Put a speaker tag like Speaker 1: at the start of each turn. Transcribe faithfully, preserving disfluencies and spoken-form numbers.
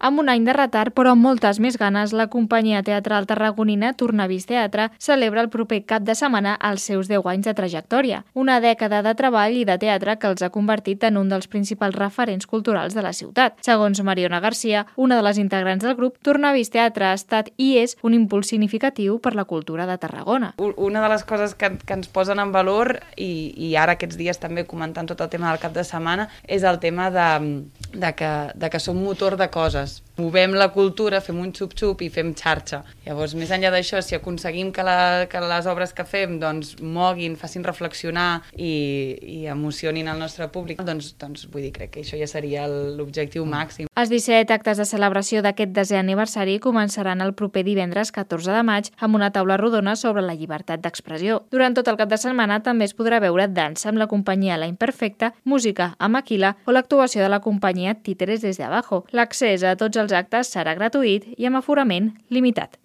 Speaker 1: Amb un any de retard, però amb moltes més ganes, la companyia teatral tarragonina Tornavís Teatre celebra el proper cap de setmana els seus deu anys de trajectòria. Una dècada de treball i de teatre que els ha convertit en un dels principals referents culturals de la ciutat. Segons Mariona Garcia, una de les integrants del grup, Tornavís Teatre ha estat i és un impuls significatiu per la cultura de Tarragona.
Speaker 2: Una de les coses que, que ens posen en valor, i, i ara aquests dies també comentant tot el tema del cap de setmana, és el tema de, de, que, de que som motor de coses. Movem la cultura, fem un xup-xup i fem xarxa. Llavors, més enllà d'això, si aconseguim que, la, que les obres que fem doncs, moguin, facin reflexionar i, i emocionin el nostre públic, doncs, doncs vull dir, crec que això ja seria l'objectiu màxim.
Speaker 1: Els disset actes de celebració d'aquest desè aniversari començaran el proper divendres catorze de maig amb una taula rodona sobre la llibertat d'expressió. Durant tot el cap de setmana també es podrà veure dansa amb la companyia La Imperfecta, música amb Aquila o l'actuació de la companyia Títeres desde abajo. L'accés a tots els actes serà gratuït i amb aforament limitat.